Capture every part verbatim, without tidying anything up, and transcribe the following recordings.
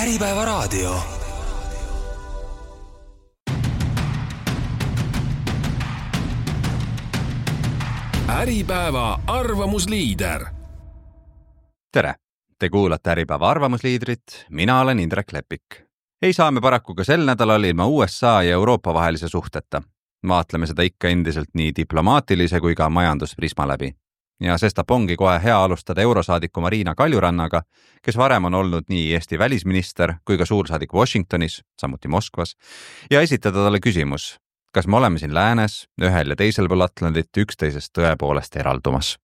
Äripäeva raadio. Äripäeva arvamusliider. Tere! Te kuulate Äripäeva arvamusliidrit, mina olen Indrek Lepik. Ei saa me paraku ka sel nädalal ilma U S A ja Euroopa vahelise suhteta. Vaatleme seda ikka endiselt nii diplomaatilise kui ka majandusprisma läbi. Ja sestap ongi kohe hea alustada eurosaadiku Marina Kaljurannaga, kes varem on olnud nii Eesti välisminister kui ka suursaadik Washingtonis, samuti Moskvas, ja esitada talle küsimus, kas me oleme siin läänes, ühel ja teisel pool Atlandit üksteisest tõepoolest eraldumas.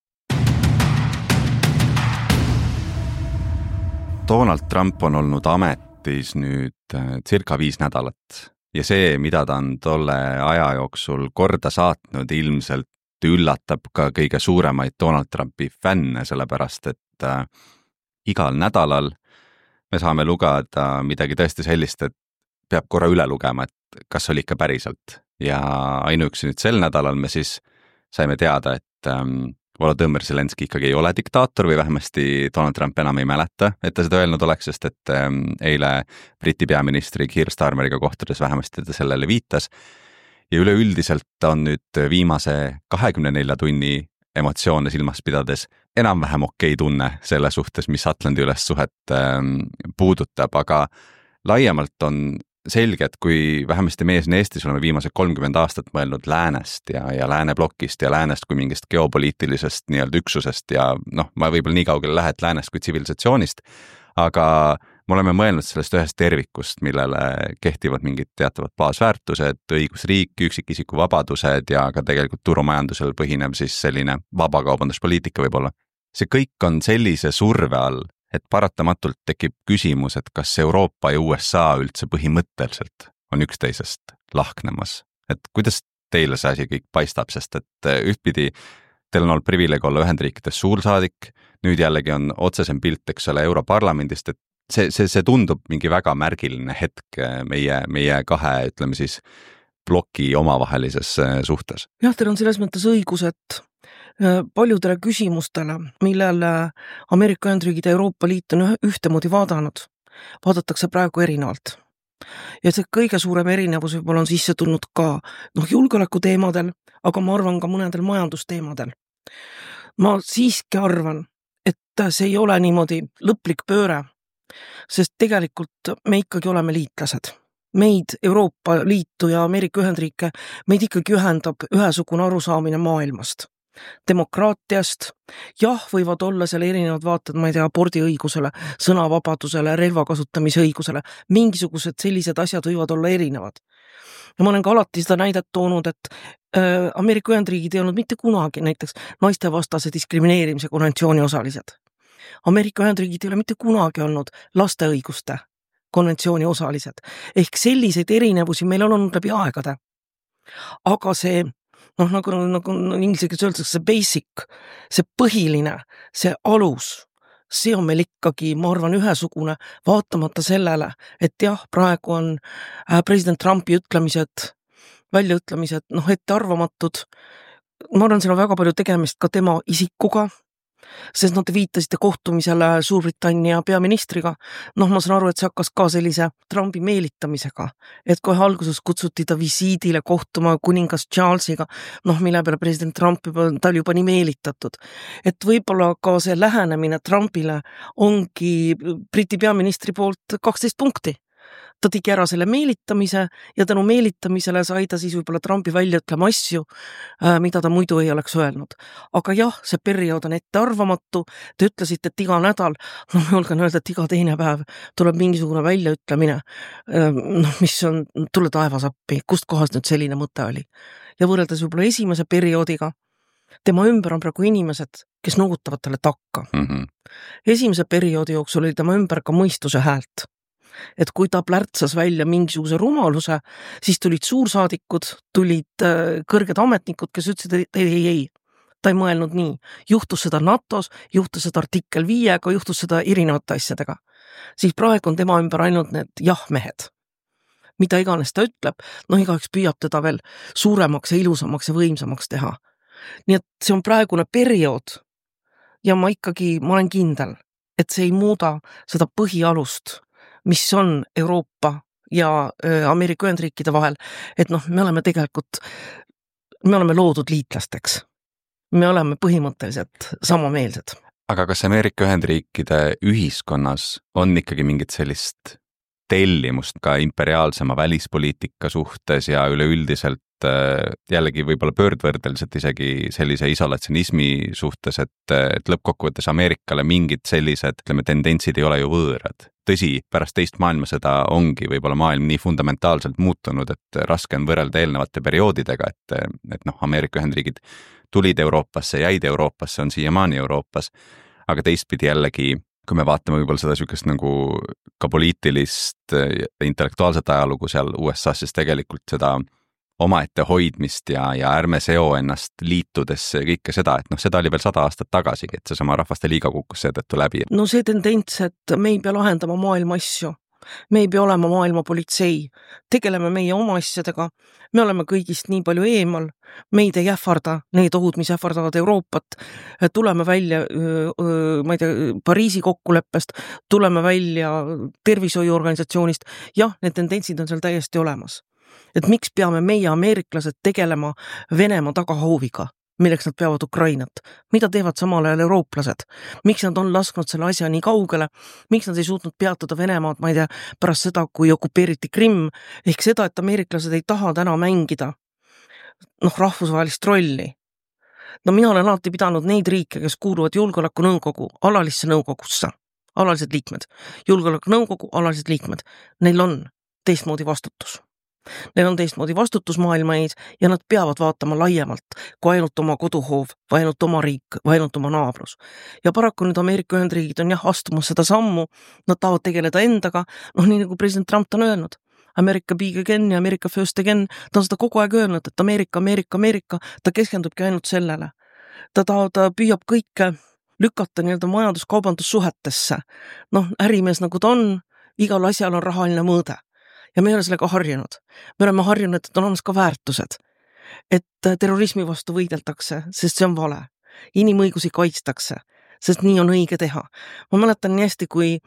Donald Trump on olnud ametis nüüd circa viis nädalat ja see, mida ta on tolle aja jooksul korda saatnud, ilmselt üllatab ka kõige suuremaid Donald Trumpi fänne, sellepärast et äh, igal nädalal me saame lugeda midagi tõesti sellist, et peab korra üle lugema, et kas oli ikka päriselt. Ja ainuüksi nüüd sel nädalal me siis saime teada, et ähm, Volodõmõr Zelenski ikkagi ei ole diktaator või vähemasti Donald Trump enam ei mäleta, et ta seda öelnud oleks, sest et ähm, eile Briti peaministri Keir Starmeriga kohtudes vähemasti ta sellele viitas. Ja üleüldiselt on nüüd viimase kahekümne nelja tunni emotsioone silmas pidades enam-vähem okei tunne selle suhtes, mis Atlandi üles suhet ähm, puudutab, aga laiemalt on selge, et kui vähemasti meie siin Eestis oleme viimased kolmkümmend aastat mõelnud läänest ja, ja lääneblokist ja läänest kui mingist geopoliitilisest nii-öelda üksusest ja noh, ma võib-olla nii kaugele lähe, et läänest kui tsivilisatsioonist, aga me oleme mõelnud sellest ühest tervikust, millele kehtivad mingid teatavad baasväärtused, õigusriik, üksikisiku vabadused ja ka tegelikult turumajandusel põhinev siis selline vabakaubanduspoliitika võib-olla. See kõik on sellise surve all, et paratamatult tekib küsimus, et kas Euroopa ja U S A üldse põhimõtteliselt on üksteisest lahknemas. Et kuidas teile see asi kõik paistab, sest et ühtpidi teil on olnud privileeg olla Ühendriikides suursaadik, nüüd jällegi on otsesem pilt, eks ole, Europarlamendist, et see, see, see tundub mingi väga märgiline hetk meie, meie kahe, ütleme siis, ploki omavahelises suhtes. Jah, teil on selles mõttes õigus, et paljudele küsimustele, millele Ameerika Ühendriigid ja Euroopa Liit on ühtemoodi vaadanud, vaadatakse praegu erinevalt. Ja see kõige suurem erinevus võib-olla on sisse tulnud ka noh, julgeoleku teemadel, aga ma arvan ka mõnedel majandusteemadel. Ma siiski arvan, et see ei ole niimoodi lõplik pööre, sest tegelikult me ikkagi oleme liitlased. Meid, Euroopa Liitu ja Ameerika Ühendriike, meid ikkagi ühendab ühesugune arusaamine maailmast. Demokraatiast, jah, võivad olla seal erinevad vaated, ma ei tea, abordiõigusele, sõnavabadusele, relva kasutamise õigusele, mingisugused sellised asjad võivad olla erinevad. Ja ma olen ka alati seda näidet toonud, et äh, Ameerika Ühendriigid ei olnud mitte kunagi näiteks naistevastase diskrimineerimise konventsiooni osalised. Ameerika Ühendriigid ei ole mitte kunagi olnud laste õiguste konventsiooni osalised. Ehk selliseid erinevusi meil on olnud läbi aegade. Aga see noh, nagu, nagu ingliskeeles öeldakse, see basic, see põhiline, see alus, see on meil ikkagi, ma arvan, ühesugune, vaatamata sellele, et jah, praegu on president Trumpi ütlemised, väljaütlemised, noh, ette arvamatud. Ma arvan, seal on väga palju tegemist ka tema isikuga, sest nad viitasite kohtumisele Suurbritannia peaministriga. Noh, ma saan aru, et see hakkas ka sellise Trumpi meelitamisega, et kohe alguses kutsuti ta visiidile kohtuma kuningas Charlesiga, noh, mille peale president Trump juba, ta oli juba nii meelitatud. Et võib-olla ka see lähenemine Trumpile ongi Briti peaministri poolt kaksteist punkti. Ta tegi ära selle meelitamise ja tänu meelitamisele sai ta siis võib-olla Trumpi välja ütlema asju, mida ta muidu ei oleks öelnud. Aga jah, see periood on ette arvamatu. Te ütlesite, et iga nädal, no ma julgen öelda, et iga teine päev tuleb mingisugune väljaütlemine, no, mis on, tule taevas appi, kust kohast nüüd selline mõte oli. Ja võrreldes võib-olla esimese perioodiga, tema ümber on praegu inimesed, kes noogutavad talle takka. Mm-hmm. Esimese perioodi jooksul oli tema ümber ka mõistuse häält. Et kui ta plärtsas välja mingisuguse rumaluse, siis tulid suursaadikud, tulid kõrged ametnikud, kes ütlesid, et ei, ei, ei, ta ei mõelnud nii. Juhtus seda NATOs, juhtus seda artikkel viiega, juhtus seda erinevate asjadega. Siis praegu on tema ümber ainult need jah-mehed. Mida iganes ta ütleb, noh igaüks püüab teda veel suuremaks ja ilusamaks ja võimsamaks teha. Nii et see on praegune periood ja ma ikkagi, ma olen kindel, et see ei muuda seda põhialust, mis on Euroopa ja Ameerika Ühendriikide vahel, et noh, me oleme tegelikult, me oleme loodud liitlasteks. Me oleme põhimõtteliselt samameelsed. Aga kas Ameerika Ühendriikide ühiskonnas on ikkagi mingit sellist tellimust ka imperiaalsema välispoliitika suhtes ja üleüldiselt jällegi võib-olla pöördvõrdeliselt isegi sellise isolatsionismi suhtes, et, et lõppkokkuvõttes Ameerikale mingid sellised, ütleme, tendentsid ei ole ju võõrad. Tõsi, pärast teist maailmasõda ongi võib-olla maailm nii fundamentaalselt muutunud, et raske on võrrelda eelnevate perioodidega, et, et noh, Ameerika Ühendriigid tulid Euroopasse, jäid Euroopasse, on siiamaani Euroopas, aga teistpidi jällegi, kui me vaatame võib-olla seda sükest nagu ka poliitilist intellektuaalset ajalugu seal U S A-s, siis tegelikult seda omaette hoidmist ja, ja ärme seo ennast liitudesse ja kõike seda, et noh, seda oli veel sada aastat tagasigi, et see sama rahvaste liiga kukkus seetõttu läbi. No see tendents, et me ei pea lahendama maailma asju, me ei pea olema maailma politsei, tegeleme meie oma asjadega, me oleme kõigist nii palju eemal, meid ei ähvarda need ohud, mis ähvardavad Euroopat, tuleme välja, ma ei tea, Pariisi kokkuleppest, tuleme välja tervishoiuorganisatsioonist, jah, need tendentsid on seal täiesti olemas. Et miks peame meie ameeriklased tegelema Venemaa tagahooviga, milleks nad peavad Ukrainat? Mida teevad samal ajal eurooplased? Miks nad on lasknud selle asja nii kaugele? Miks nad ei suutnud peatada Venemaad, ma ei tea, pärast seda, kui okupeeriti Krimm, ehk seda, et ameeriklased ei taha täna mängida noh, rahvusvahelist rolli. No mina olen alati pidanud neid riike, kes kuuluvad julgeolekunõukogu alalisse nõukogusse, alalised liikmed, julgeolekunõukogu alalised liikmed, neil on teistmoodi vastutus. Neil on teistmoodi vastutus maailma ees ja nad peavad vaatama laiemalt kui ainult oma koduhoov, või ainult oma riik, või ainult oma naabrus. Ja paraku nüüd Ameerika Ühendriigid on jah astumas seda sammu, nad tahavad tegeleda endaga, noh nii nagu president Trump on öelnud, America big again ja America first again, ta on seda kogu aeg öelnud, et Ameerika, Ameerika, Ameerika, ta keskendubki ainult sellele. Ta, ta, ta püüab kõike lükata nii-öelda majanduskaubandussuhetesse. Noh, ärimees nagu ta on, igal asjal on rahaline mõõde. Ja me ei ole sellega harjunud. Me oleme harjunud, et on olemas ka väärtused. Et terrorismi vastu võideldakse, sest see on vale. Inimõigusi kaitstakse, sest nii on õige teha. Ma mäletan nii hästi, kui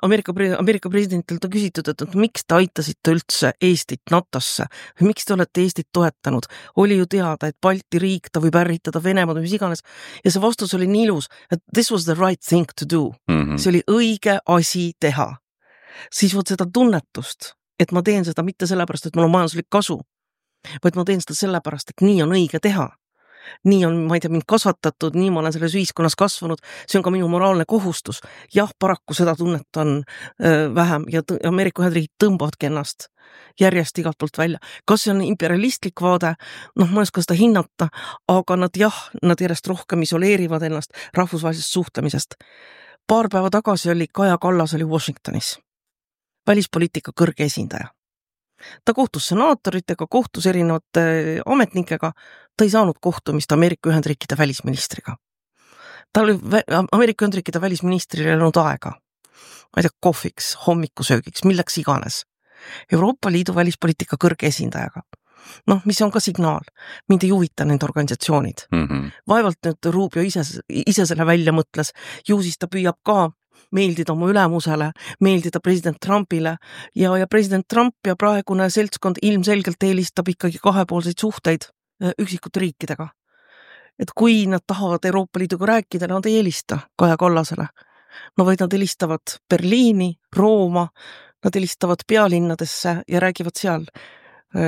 Ameerika, Ameerika presidentilt on küsitud, et miks te aitasite üldse Eestit NATOsse, või miks te olete Eestit toetanud. Oli ju teada, et Balti riik, ta võib ärritada Venemaad, mis iganes. Ja see vastus oli nii ilus, et this was the right thing to do. Mm-hmm. See oli õige asi teha. Siis võt seda tunnetust, et ma teen seda mitte sellepärast, et mul on majanduslik kasu, vaid ma teen seda sellepärast, et nii on õige teha. Nii on, ma ei tea, mind kasvatatud, nii ma olen selles ühiskonnas kasvanud, see on ka minu moraalne kohustus. Jah, paraku seda tunnet on öö, vähem ja t- Ameerika Ühendriigid tõmbavadki ennast järjest igalt poolt välja. Kas see on imperialistlik vaade? Noh, ma ei oska seda hinnata, aga nad jah, nad järjest rohkem isoleerivad ennast rahvusvahelisest suhtlemisest. Paar päeva tagasi oli Kaja Kallas oli Washingtonis. Välispoliitika kõrge esindaja. Ta kohtus senaatoritega, kohtus erinevate ametnikega, ta ei saanud kohtumist Ameerika Ühendriikide välisministriga. Ta oli Ameerika Ühendriikide välisministril olnud aega, ma ei tea, kohviks, hommikusöögiks, milleks iganes. Euroopa Liidu välispoliitika kõrge esindajaga. Noh, mis on ka signaal, mind ei huvita need organisatsioonid. Mm-hmm. Vaevalt nüüd Rubio ise, ise selle välja mõtles, ju siis ta püüab ka meeldida oma ülemusele, meeldida president Trumpile ja, ja president Trump ja praegune seltskond ilmselgelt eelistab ikkagi kahepoolseid suhteid üksikute riikidega. Et kui nad tahavad Euroopa Liiduga rääkida, nad ei eelista Kaja Kallasele. No vaid nad eelistavad Berliini, Rooma, nad eelistavad pealinnadesse ja räägivad seal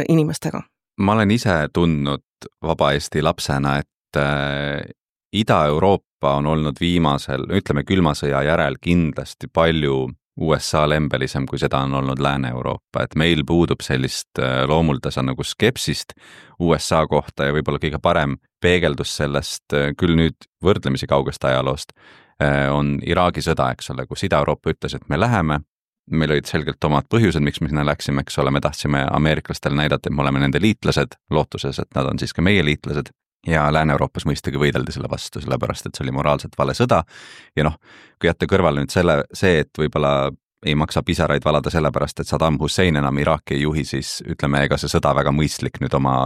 inimestega. Ma olen ise tundnud Vaba Eesti lapsena, et äh, Ida-Euroopa on olnud viimasel, ütleme külmasõja järel kindlasti palju U S A lembelisem, kui seda on olnud Lääne-Euroopa, et meil puudub sellist loomuldasa nagu skepsist U S A kohta ja võib-olla kõige parem peegeldus sellest küll nüüd võrdlemisi kaugest ajaloost on Iraagi sõda, eks ole, kus Ida-Euroopa ütles, et me läheme, meil olid selgelt omad põhjused, miks me sinna läksime, eks ole, me tahtsime ameeriklastele näidata, et me oleme nende liitlased, lootuses, et nad on siis ka meie liitlased. Ja Lääne-Euroopas mõistagi võideldi selle vastu, sellepärast, et see oli moraalselt vale sõda. Ja noh, kui jätta kõrvale nüüd selle, see, et võib-olla ei maksa pisaraid valada sellepärast, et Saddam Hussein enam Iraaki ei juhi, siis ütleme, ega see sõda väga mõistlik nüüd oma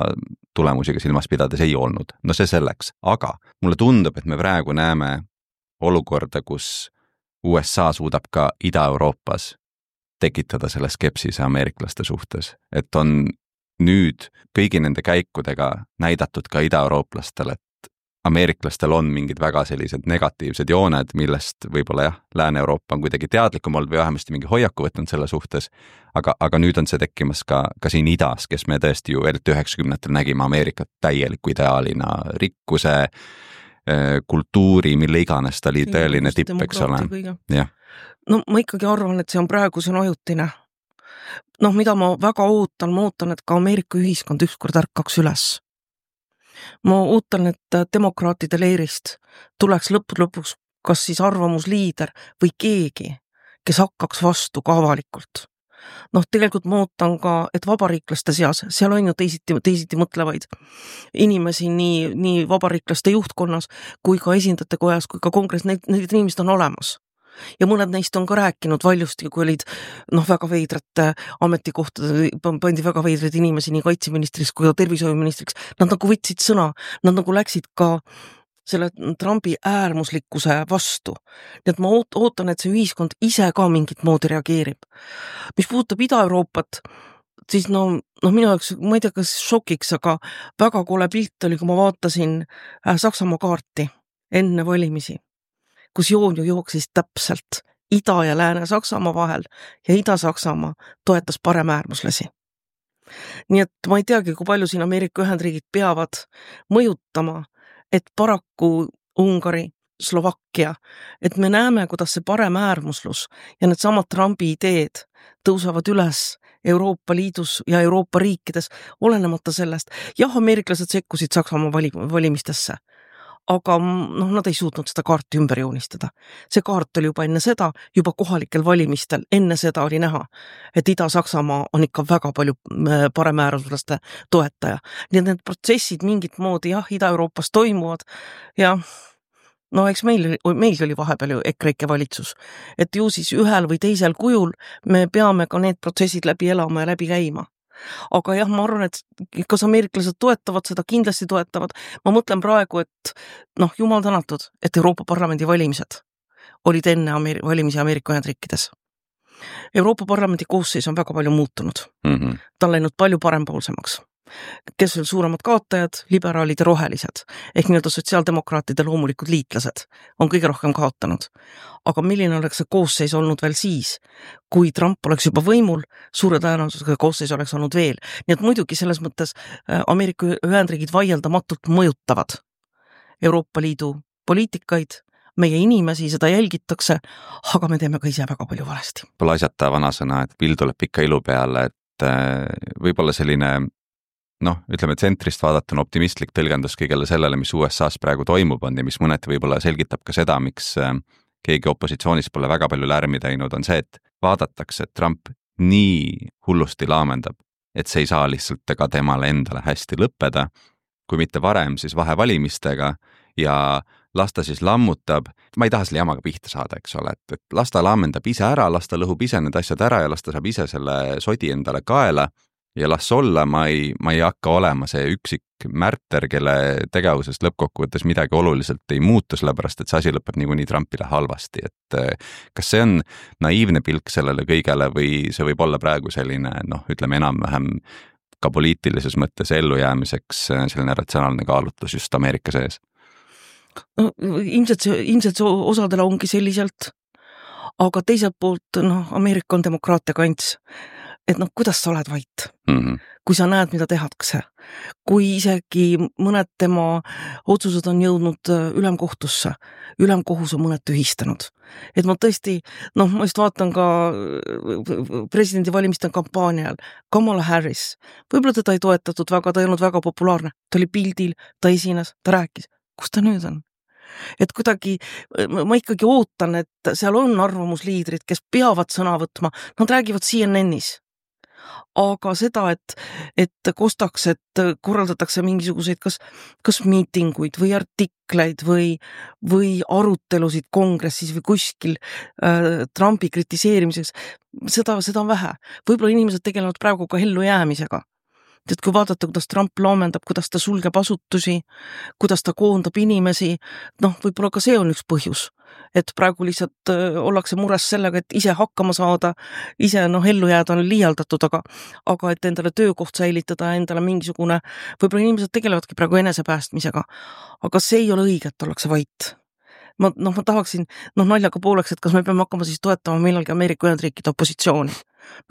tulemusiga silmas pidades ei olnud. No see selleks. Aga mulle tundub, et me praegu näeme olukorda, kus U S A suudab ka Ida-Euroopas tekitada selle skepsise ameeriklaste suhtes, et on nüüd kõigi nende käikudega näidatud ka ida-eurooplastele, et ameeriklastel on mingid väga sellised negatiivsed jooned, millest võib-olla jah, Lääne-Euroopa on kuidagi teadlikum olnud või vähemasti mingi hoiaku võtnud selle suhtes, aga, aga nüüd on see tekkimas ka, ka siin idas, kes me tõesti ju eriti üheksakümnendatel nägime Ameerikat täieliku ideaalina, rikkuse, kultuuri, mille iganes ta oli tõeline tipp, eks ole. Jah. No ma ikkagi arvan, et see on praegu, see on ajutine. Noh, mida ma väga ootan, ma ootan, et ka Ameerika ühiskond ükskord ärkaks üles. Ma ootan, et demokraatide leerist tuleks lõppude lõpuks kas siis arvamusliider või keegi, kes hakkaks vastu ka avalikult. Noh, tegelikult ma ootan ka, et vabariiklaste seas, seal on ju teisiti, teisiti mõtlevaid inimesi nii, nii vabariiklaste juhtkonnas kui ka esindajate kojas, kui ka kongress, need, need inimesed on olemas. Ja mõned neist on ka rääkinud valjusti, kui olid noh, väga veidrate ametikohtade, pandi väga veidraid inimesi nii kaitseministriks kui ka tervishoiuministriks. Nad nagu võtsid sõna, nad nagu läksid ka selle Trumpi äärmuslikkuse vastu. Nii et ma ootan, et see ühiskond ise ka mingit moodi reageerib. Mis puudutab Ida-Euroopat, siis no, no minu jaoks, ma ei tea, kas šokiks, aga väga kole pilt oli, kui ma vaatasin Saksamaa kaarti enne valimisi, kus joon ju jooksis täpselt Ida- ja Lääne-Saksamaa vahel ja Ida-Saksamaa toetas paremäärmuslasi. Nii et ma ei teagi, kui palju siin Ameerika Ühendriigid peavad mõjutama, et paraku Ungari, Slovakkia, et me näeme, kuidas see paremäärmuslus ja need samad Trumpi ideed tõusevad üles Euroopa Liidus ja Euroopa riikides, olenemata sellest. Jah, ameeriklased sekkusid Saksamaa valimistesse, aga noh, nad ei suutnud seda kaarti ümber joonistada. See kaart oli juba enne seda, juba kohalikel valimistel, enne seda oli näha, et Ida-Saksamaa on ikka väga palju paremäärmuslaste toetaja. Nii et need protsessid mingit moodi jah, Ida-Euroopas toimuvad ja no eks meil, meil oli vahepeal ju EKREIKE valitsus, et ju siis ühel või teisel kujul me peame ka need protsessid läbi elama ja läbi käima. Aga jah, ma arvan, et kas ameeriklased toetavad seda, kindlasti toetavad. Ma mõtlen praegu, et noh, jumal tänatud, et Euroopa Parlamendi valimised olid enne Ameer- valimisi Ameerika Ühendriikides. Euroopa Parlamendi koosseis on väga palju muutunud. Mm-hmm. Ta on läinud palju parempoolsemaks. Kes on suuremad kaotajad, liberaalid ja rohelised, ehk nii-öelda sotsiaaldemokraatide loomulikud liitlased on kõige rohkem kaotanud. Aga milline oleks see koosseis olnud veel siis, kui Trump oleks juba võimul, suure tõenäosusega koosseis oleks olnud veel. Nii et muidugi selles mõttes Ameerika Ühendriigid vaieldamatult mõjutavad Euroopa Liidu poliitikaid, meie inimesi, seda jälgitakse, aga me teeme ka ise väga palju valesti. Pole asjata vanasõna, et pill tuleb ikka ilu peale, et võib-olla selline noh, ütleme, tsentrist vaadatuna optimistlik tõlgendus kõigele sellele, mis U S A-s praegu toimub on ja mis mõneti võib-olla selgitab ka seda, miks keegi opositsioonis pole väga palju lärmi teinud, on see, et vaadatakse, et Trump nii hullusti laamendab, et see ei saa lihtsalt ega temale endale hästi lõppeda, kui mitte varem, siis vahevalimistega ja las ta siis lammutab, ma ei taha selle jamaga pihta saada, eks ole, et, et las ta laamendab ise ära, las ta lõhub ise need asjad ära ja las ta saab ise selle sodi endale kaela ja las olla, ma ei, ma ei hakka olema see üksik märter, kelle tegevusest lõppkokkuvõttes midagi oluliselt ei muutu, sellepärast et see asi lõpeb niikuinii Trumpile halvasti, et kas see on naiivne pilk sellele kõigele või see võib olla praegu selline, noh, ütleme enam-vähem ka poliitilises mõttes ellujäämiseks selline ratsionaalne kaalutlus just Ameerika sees? No, ilmselt see, ilmselt see osadele ongi selliselt, aga teiselt poolt, noh, Ameerika on demokraatia kants. Et noh, kuidas sa oled vait, mm-hmm. kui sa näed, mida tehakse, kui isegi mõned tema otsused on jõudnud ülemkohtusse, ülemkohus on mõned tühistanud. Et ma tõesti, noh, ma just vaatan ka presidendi valimiste kampaanial, Kamala Harris, võib-olla teda ei toetatud väga, ta ei olnud väga populaarne, ta oli pildil, ta esines, ta rääkis, kus ta nüüd on? Et kuidagi, ma ikkagi ootan, et seal on arvamusliidrid, kes peavad sõna võtma, nad räägivad C N N-is. Aga seda, et, et kostaks, et korraldatakse mingisuguseid kas, kas miitinguid või artikleid või, või arutelusid kongressis või kuskil äh, Trumpi kritiseerimiseks, seda, seda on vähe. Võib-olla inimesed tegelevad praegu ka ellu jäämisega. et kui vaadata, kuidas Trump laamendab, kuidas ta sulgeb asutusi, kuidas ta koondab inimesi, noh, võib-olla ka see on üks põhjus, et praegu lihtsalt ollakse mures sellega, et ise hakkama saada, ise noh, ellu jääda on liialdatud, aga, aga et endale töökoht säilitada, endale mingisugune, võib-olla inimesed tegelevadki praegu enesepäästmisega, aga see ei ole õige, et ollakse vait. Ma, noh, ma tahaksin noh, naljaga pooleks, et kas me peame hakkama siis toetama millalgi Ameerika Ühendriikide opositsiooni,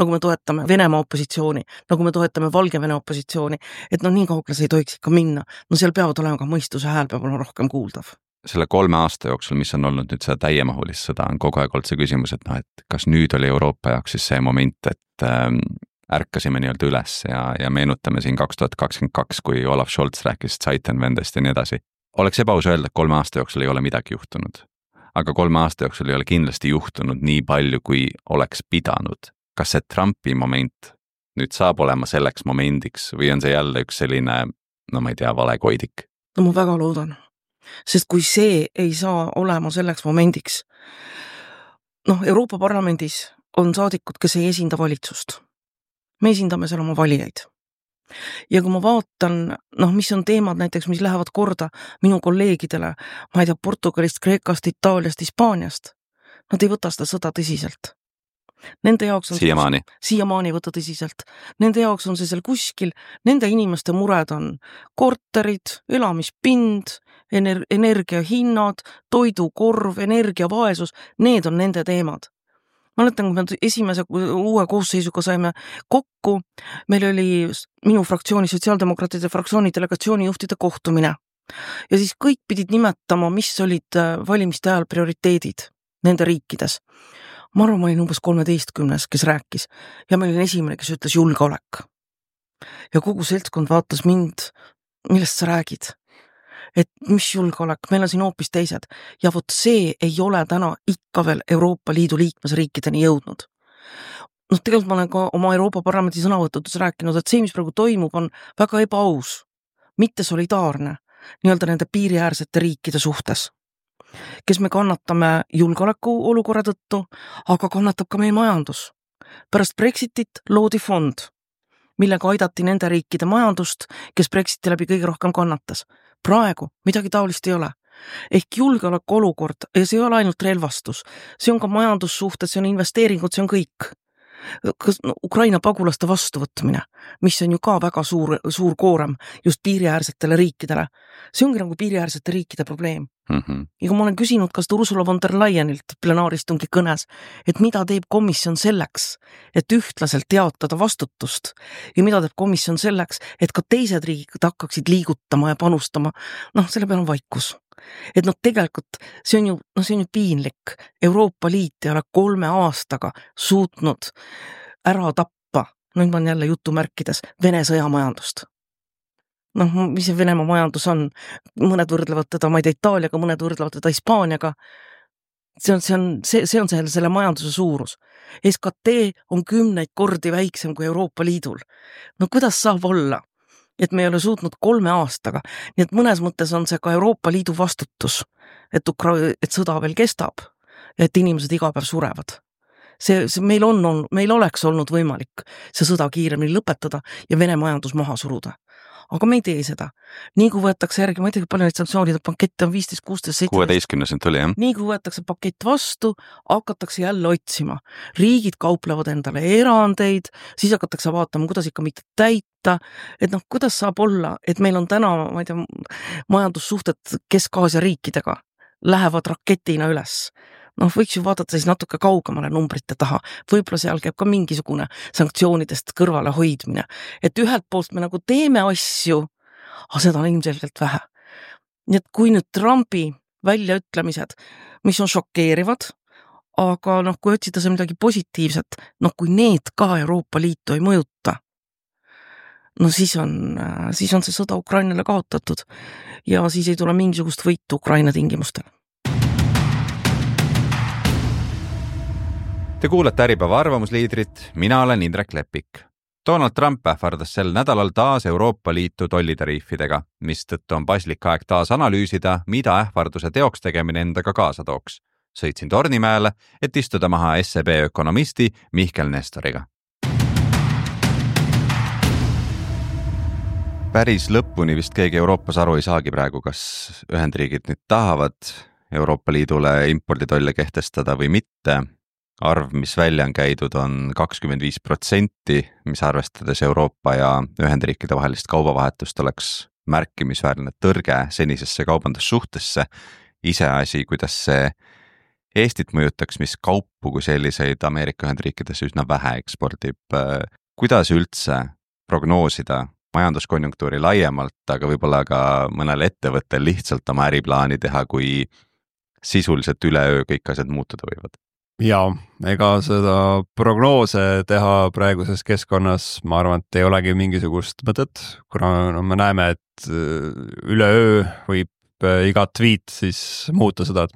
nagu me toetame Venemaa opositsiooni, nagu me toetame Valgevene opositsiooni, et noh, nii kaugele see ei tohiks ikka minna. No seal peavad olema ka mõistuse hääl, peab olema rohkem kuuldav. Selle kolme aasta jooksul, mis on olnud nüüd seda täiemahulist sõda, on kogu aeg olnud see küsimus, et noh, et kas nüüd oli Euroopa jaoks siis see moment, et ähm, ärkasime nii-öelda üles ja, ja meenutame siin kaks tuhat kakskümmend kaks, kui Olaf Scholz rääkis Zeitenwendest ja nii edasi. Oleks ebaus öelda, et kolme aasta jooksul ei ole midagi juhtunud. Aga kolme aasta jooksul ei ole kindlasti juhtunud nii palju, kui oleks pidanud. Kas see Trumpi moment nüüd saab olema selleks momendiks või on see jälle üks selline, no ma ei tea, valekoidik? No ma väga loodan. Sest kui see ei saa olema selleks momendiks, noh, Euroopa Parlamendis on saadikud, kes ei esinda valitsust. Me esindame seal oma valijaid. Ja kui ma vaatan, noh, mis on teemad näiteks, mis lähevad korda minu kolleegidele, ma ei tea, Portugalist, Kreekast, Itaaliast, Hispaaniast, nad ei võta seda sõda tõsiselt. Nende jaoks on siiamaani. siiamaani võta tõsiselt. Nende jaoks on see seal kuskil, nende inimeste mured on korterid, elamispind, ener- energiahinnad, toidukorv, energiavaesus, need on nende teemad. Ma mäletan, kui me esimese uue koosseisuga saime kokku, meil oli minu fraktsiooni, sotsiaaldemokraatide fraktsiooni delegatsiooni juhtide kohtumine. Ja siis kõik pidid nimetama, mis olid valimiste ajal prioriteedid nende riikides. Ma arvan, ma olin umbes kolmeteistkümnes, kes rääkis ja meil oli esimene, kes ütles julgeolek. Ja kogu seltskond vaatas mind, millest sa räägid? Et mis julgeolek, meil on siin hoopis teised. Ja vot see ei ole täna ikka veel Euroopa Liidu liikmesriikideni jõudnud. Noh, tegelikult ma olen ka oma Euroopa Parlamendi sõnavõtudes rääkinud, et see, mis praegu toimub, on väga ebaaus, mitte solidaarne, nii-öelda nende piiriäärsete riikide suhtes, kes me kannatame julgeoleku olukorra tõttu, aga kannatab ka meie majandus. Pärast Brexitit loodi fond, millega aidati nende riikide majandust, kes Brexiti läbi kõige rohkem kannatas. Praegu midagi taolist ei ole. Ehk julgeoleku olukord, ja see ei ole ainult relvastus, see on ka majandussuhted, see on investeeringud, see on kõik. Kas, no, Ukraina pagulaste vastuvõtmine, mis on ju ka väga suur, suur koorem just piiriäärsetele riikidele. See ongi nagu piiriäärsete riikide probleem. Mm-hmm. Ja kui ma olen küsinud kas Ursula von der Leyenilt plenaaristungi kõnes, et mida teeb komisjon selleks, et ühtlaselt teatada vastutust ja mida teeb komisjon selleks, et ka teised riigid hakkaksid liigutama ja panustama, noh, selle peal on vaikus. Et noh, tegelikult see on ju, noh, see on ju piinlik. Euroopa Liit ei ole kolme aastaga suutnud ära tappa, nüüd ma olen jälle jutumärkides, Vene sõjamajandust. Noh, mis see Venemaa majandus on? Mõned võrdlevad teda, ma ei tea, Itaaliaga, mõned võrdlevad teda Hispaaniaga. See on, see on, see, see on selle, selle majanduse suurus. S K T on kümneid kordi väiksem kui Euroopa Liidul. No kuidas saab olla? Et me ei ole suutnud kolme aastaga. Nii et mõnes mõttes on see ka Euroopa Liidu vastutus, et, Ukra- et sõda veel kestab ja et inimesed iga päev surevad. See, see meil, on, on, meil oleks olnud võimalik see sõda kiiremini lõpetada ja Vene majandus maha suruda. Aga me ei tee seda. Nii kui võetakse järgi, ma ei tea, palju neid sanktsioonide pakette on viisteist, kuusteist, seitseteist. kuueteistkümnes nüüd tuli, jah? Nii kui võetakse pakett vastu, hakatakse jälle otsima. Riigid kauplevad endale erandeid, siis hakatakse vaatama, kuidas ikka mitte täita. Et noh, kuidas saab olla, et meil on täna, ma ei tea, majandussuhted Kesk-Aasia riikidega lähevad raketina üles. Noh, võiks ju vaadata siis natuke kaugemale numbrite taha. Võib-olla seal käib ka mingisugune sanktsioonidest kõrvale hoidmine. Et ühelt poolt me nagu teeme asju, aga seda on ilmselgelt vähe. Nii et kui nüüd Trumpi väljaütlemised, mis on šokeerivad, aga noh, kui otsida see midagi positiivset, noh, kui need ka Euroopa Liitu ei mõjuta, no siis on, siis on see sõda Ukrainale kaotatud ja siis ei tule mingisugust võitu Ukraina tingimustel. Te kuulate Äripäeva arvamusliidrit, mina olen Indrek Lepik. Donald Trump ähvardas sel nädalal taas Euroopa Liitu tollitariifidega, mis tõttu on paslik aeg taas analüüsida, mida ähvarduse teoks tegemine endaga kaasa tooks. Sõitsin Tornimäele, et istuda maha S E B ökonomisti Mihkel Nestoriga. päris lõpuni vist keegi Euroopas aru ei saagi praegu, kas Ühendriigid nüüd tahavad Euroopa Liidule imporditolle kehtestada või mitte. Arv, mis välja on käidud, on kakskümmend viis protsenti, mis arvestades Euroopa ja Ühendriikide vahelist kaubavahetust oleks märkimisväärne tõrge senisesse kaubandussuhtesse. Iseasi, kuidas see Eestit mõjutaks, mis kaupu kui selliseid Ameerika Ühendriikides üsna vähe ekspordib. Kuidas üldse prognoosida majanduskonjunktuuri laiemalt, aga võib-olla ka mõnel ettevõttel lihtsalt oma äriplaani teha, kui sisuliselt üleöö kõik asjad muutuda võivad? Jaa, ega seda prognoose teha praeguses keskkonnas, ma arvan, et ei olegi mingisugust mõtet, kuna no, me näeme, et üleöö võib iga tweet siis muuta seda, et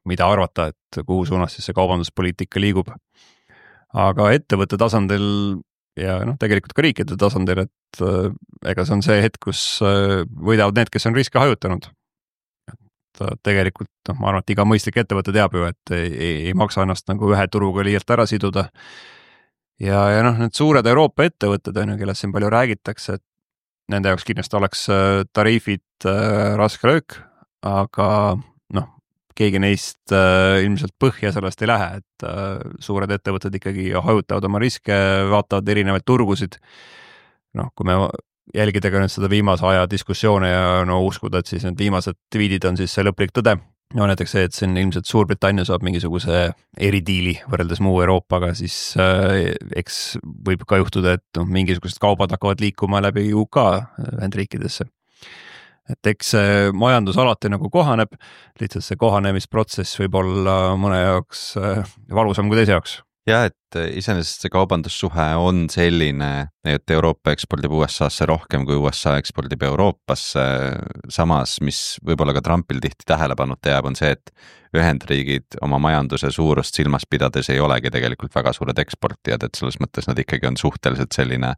mida arvata, et kuhu suunas siis see kaubanduspoliitika liigub. Aga ettevõtte tasandil ja noh, tegelikult ka riikide tasandil, et ega see on see hetk, kus võidavad need, kes on riske hajutanud. Et tegelikult, noh, ma arvan, et iga mõistlik ettevõte teab ju, et ei, ei, ei maksa ennast nagu ühe turuga liialt ära siduda. Ja, ja noh, need suured Euroopa ettevõtted, kellest siin palju räägitakse, et nende jaoks kindlasti oleks tariifid raske löök, aga noh, keegi neist äh, ilmselt põhja sellest ei lähe, et äh, suured ettevõtted ikkagi hajutavad oma riske, vaatavad erinevaid turgusid. Noh, kui me jälgida ka nüüd seda viimase aja diskussioone ja no uskuda, et siis need viimased tweetid on siis see lõplik tõde. No näiteks see, et siin ilmselt Suurbritannia saab mingisuguse eridiili võrreldes muu Euroopaga, siis äh, eks võib ka juhtuda, et no, mingisugused kaubad hakkavad liikuma läbi U K Ühendriikidesse. Et eks see majandus alati nagu kohaneb, lihtsalt see kohanemisprotsess võib olla mõne jaoks valusam kui teise jaoks. Ja, et iseenesest see kaubandussuhe on selline, et Euroopa ekspordib U S A-sse rohkem kui U S A ekspordib Euroopasse. Samas, mis võib-olla ka Trumpil tihti tähelepanuta jääb, on see, et Ühendriigid oma majanduse suurust silmas pidades ei olegi tegelikult väga suured eksportijad, et selles mõttes nad ikkagi on suhteliselt selline,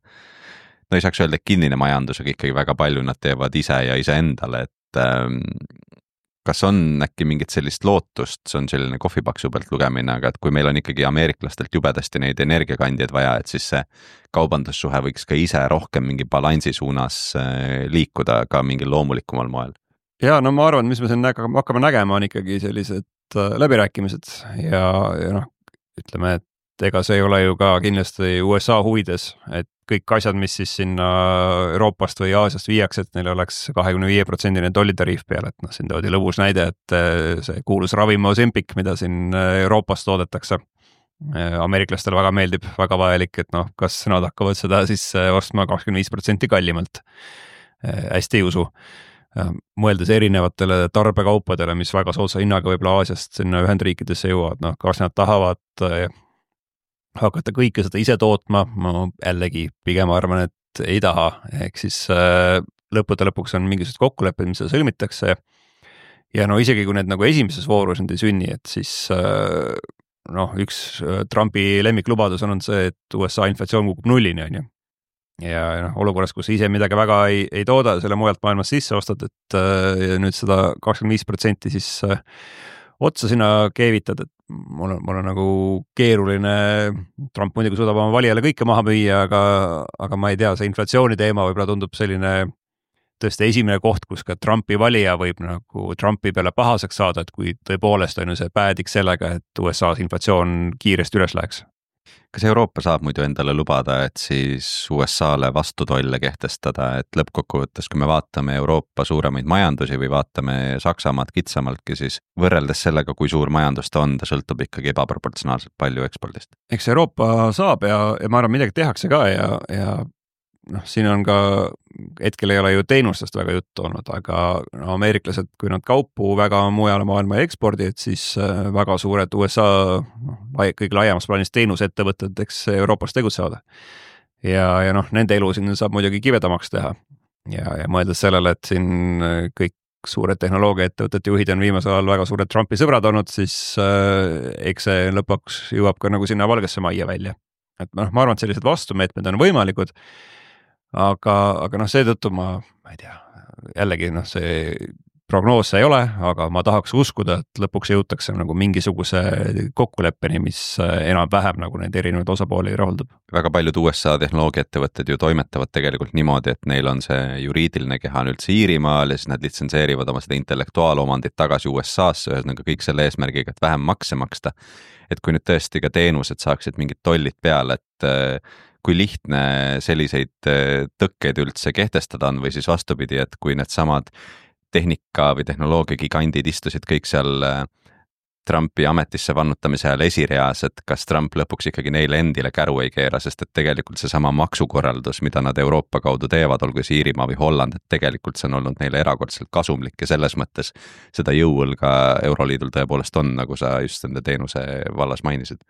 no ei saaks öelda kinnine majandus, aga ikkagi väga palju nad teevad ise ja ise endale, et ähm, kas on äkki mingit sellist lootust, see on selline kohvipaksu pealt lugemine, aga et kui meil on ikkagi ameeriklastelt jubedasti neid energiakandjaid vaja, et siis see kaubandussuhe võiks ka ise rohkem mingi balansi suunas äh, liikuda ka mingil loomulikumal moel. Ja no ma arvan, mis me siin hakkame nägema, on ikkagi sellised äh, läbirääkimised ja, ja noh, ütleme, et ega see ei ole ju ka kindlasti U S A huvides, et kõik asjad, mis siis sinna Euroopast või Aasiast viiaks, et neil oleks kakskümmend viis protsenti tollitariif peale, et noh, siin toodi lõbus näide, et see kuulus ravim Ozempic, mida siin Euroopas toodetakse. Ameeriklastele väga meeldib, väga vajalik, et noh, kas nad hakkavad seda siis ostma kakskümmend viis protsenti kallimalt. Hästi ei usu. Mõeldes erinevatele tarbekaupadele, mis väga soodsa hinnaga võib-olla Aasiast sinna Ühendriikidesse jõuavad, noh, kas nad tahavad hakata kõike seda ise tootma, ma jällegi pigem arvan, et ei taha, ehk siis lõppude lõpuks on mingisugused kokkulepped, mis seda sõlmitakse ja no isegi kui need nagu esimeses voorus nüüd ei sünni, et siis noh, üks Trumpi lemmiklubadus on see, et U S A inflatsioon kukub nullini, on ju. Ja noh, olukorras, kus ise midagi väga ei, ei tooda, selle mujalt maailmas sisse ostad, et ja nüüd seda kakskümmend viis protsenti siis otsa sinna keevitad, et mul on, mul on nagu keeruline, Trump muidugi suudab oma valijale kõike maha müüa, aga, aga ma ei tea, see inflatsiooni teema võib-olla tundub selline tõesti esimene koht, kus ka Trumpi valija võib nagu Trumpi peale pahaseks saada, et kui tõepoolest on see päädiks sellega, et U S A inflatsioon kiiresti üles läheks. Kas Euroopa saab muidu endale lubada, et siis U S A-le vastutolle kehtestada, et lõppkokkuvõttes, kui me vaatame Euroopa suuremaid majandusi või vaatame Saksamaad kitsamaltki, siis võrreldes sellega, kui suur majandus ta on, ta sõltub ikkagi ebaproportsionaalselt palju ekspordist. Eks Euroopa saab ja, ja ma arvan, midagi tehakse ka ja, ja noh, siin on ka, hetkel ei ole ju teenustest väga juttu olnud, aga no, ameeriklased, kui nad kaupu väga mujale maailma ei ekspordi, et siis väga suured U S A no, kõige laiemas plaanis teenusettevõtted, eks Euroopas tegutsevad. Ja, ja noh, nende elu siin saab muidugi kivedamaks teha. Ja, ja mõeldes sellele, et siin kõik suured tehnoloogiaettevõtete juhid on viimasel ajal väga suured Trumpi sõbrad olnud, siis äh, eks see lõpuks jõuab ka nagu sinna valgesse majja välja. Et noh, ma arvan, et sellised vastumeetmed on võimalikud, aga, aga noh, seetõttu ma, ma ei tea, jällegi noh, see prognoose ei ole, aga ma tahaks uskuda, et lõpuks jõutakse nagu mingisuguse kokkuleppeni, mis enam-vähem nagu neid erinevaid osapooli rahuldab. Väga paljud U S A tehnoloogiaettevõtted ju toimetavad tegelikult niimoodi, et neil on see juriidiline keha nüüd Iirimaal ja siis nad litsenseerivad oma seda intellektuaalomandit tagasi U S A-sse, ühesõnaga kõik selle eesmärgiga, et vähem makse maksta. Et kui nüüd tõesti ka teenused saaksid mingid tollid peale, et kui lihtne selliseid tõkkeid üldse kehtestada on või siis vastupidi, et kui need samad tehnika või tehnoloogia gigandid istusid kõik seal Trumpi ametisse vannutamise ajal esireas, et kas Trump lõpuks ikkagi neile endile käru ei keera, sest et tegelikult see sama maksukorraldus, mida nad Euroopa kaudu teevad, olgu see Iirimaa või Holland, et tegelikult see on olnud neile erakordselt kasumlik ja selles mõttes seda jõuõlga Euroliidul tõepoolest on, nagu sa just enda teenuse vallas mainisid.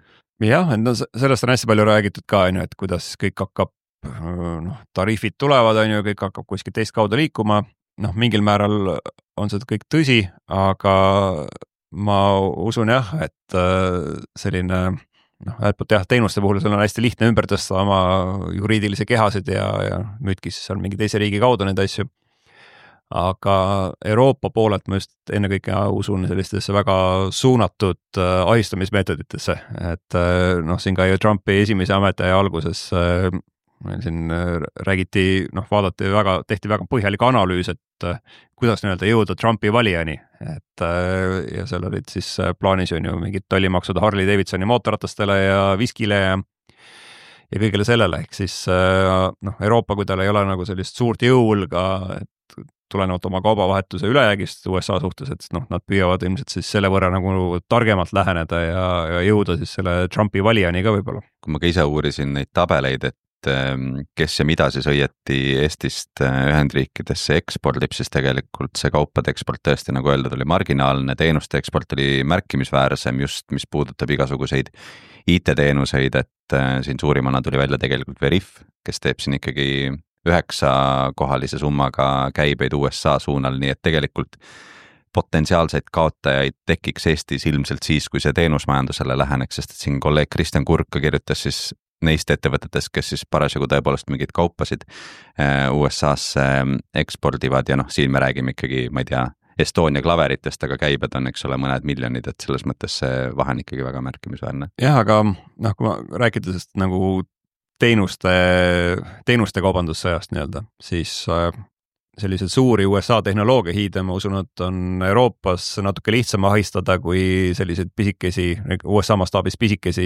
Jah, et no sellest on hästi palju räägitud ka, et kuidas kõik hakkab, noh, tariifid tulevad, on ju, kõik hakkab kuskil teist kaudu liikuma, noh, mingil määral on seda kõik tõsi, aga ma usun jah, et selline, noh, äälpoolt jah, teenuste puhul seal on hästi lihtne ümber tõsta oma juriidilisi kehasid ja, ja müüdki siis seal mingi teise riigi kaudu neid asju. Aga Euroopa poolelt ma just ennekõike usun sellistesse väga suunatud ahistamismeetoditesse, et noh, siin ka ju Trumpi esimese ametiaja alguses siin räägiti, noh, vaadati väga, tehti väga põhjalik analüüs, et kuidas nii-öelda jõuda Trumpi valijani, et ja seal olid siis plaanis on ju mingid tollimaksud Harley Davidsoni mootorratastele ja viskile ja, ja kõigele sellele, ehk siis noh, Euroopa, kui tal ei ole nagu sellist suurt jõulga, et tulenevalt oma kaubavahetuse ülejäägist U S A suhtes, et noh, nad püüavad ilmselt siis selle võrra nagu targemalt läheneda ja, ja jõuda siis selle Trumpi valijani ka võib-olla. Kui ma ka ise uurisin neid tabeleid, et kes ja mida siis õieti Eestist Ühendriikidesse ekspordib, siis tegelikult see kaupade eksport tõesti, nagu öeldud, oli marginaalne, teenuste eksport oli märkimisväärsem just, mis puudutab igasuguseid I T-teenuseid, et siin suurimana tuli välja tegelikult Veriff, kes teeb siin ikkagi üheksakohalise summaga käibeid U S A suunal, nii et tegelikult potentsiaalseid kaotajaid tekiks Eestis ilmselt siis, kui see teenusmajandusele läheneks, sest et siin kolleeg Kristjan Kurk kirjutas siis neist ettevõtetest, kes siis parasjagu tõepoolest mingid kaupasid U S A-sse ekspordivad ja noh, siin me räägime ikkagi, ma ei tea, Estonia klaveritest, aga käibed on, eks ole, mõned miljonid, et selles mõttes see vahe on ikkagi väga märkimisväärne. Jah, aga noh, kui ma rääkida sest nagu teenuste, teenuste kaubandussõjast nii-öelda, siis sellised suuri U S A tehnoloogia hiide, ma usun, et on Euroopas natuke lihtsam ahistada kui selliseid pisikesi, U S A mastaabis pisikesi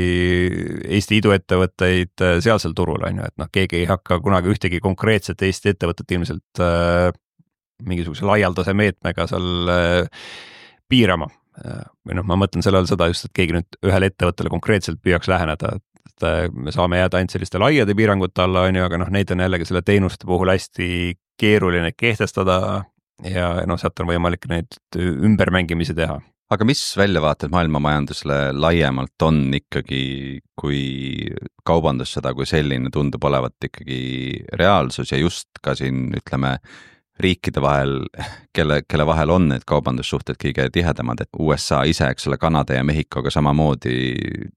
Eesti iduettevõtteid sealsel turul, on ju, et noh, keegi ei hakka kunagi ühtegi konkreetset Eesti ettevõtet ilmselt äh, mingisuguse laialdase meetmega seal äh, piirama. Või noh, ma mõtlen sellele seda just, et keegi nüüd ühele ettevõttele konkreetselt püüaks läheneda, et me saame jääda ainult selliste laiade piirangute alla, on ju, aga noh, neid on jällegi selle teenuste puhul hästi keeruline kehtestada ja noh, sealt on võimalik neid ümbermängimisi teha. Aga mis väljavaated maailmamajandusele laiemalt on ikkagi, kui kaubandussõda kui selline tundub olevat ikkagi reaalsus ja just ka siin, ütleme, riikide vahel, kelle, kelle vahel on need kaubandussuhted kõige tihedamad, et U S A ise, eks ole, Kanada ja Mehhikoga samamoodi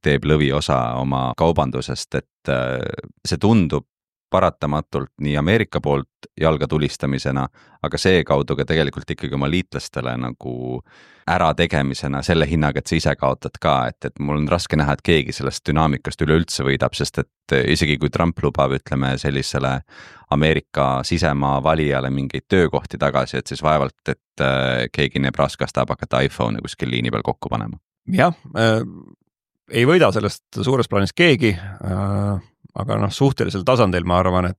teeb lõviosa oma kaubandusest, et see tundub paratamatult nii Ameerika poolt jalga tulistamisena, aga see kaudu ka tegelikult ikkagi oma liitlastele nagu ära tegemisena selle hinnaga, et sa ise kaotad ka, et, et mul on raske näha, et keegi sellest dünaamikast üleüldse võidab, sest et isegi kui Trump lubab, ütleme, sellisele Ameerika sisemaa valijale mingeid töökohti tagasi, et siis vaevalt, et keegi Nebraskast tahab hakata iPhone'i kuskil liini peal kokku panema. Jah, äh, ei võida sellest suures plaanis keegi, äh, aga noh, suhtelisel tasandil ma arvan, et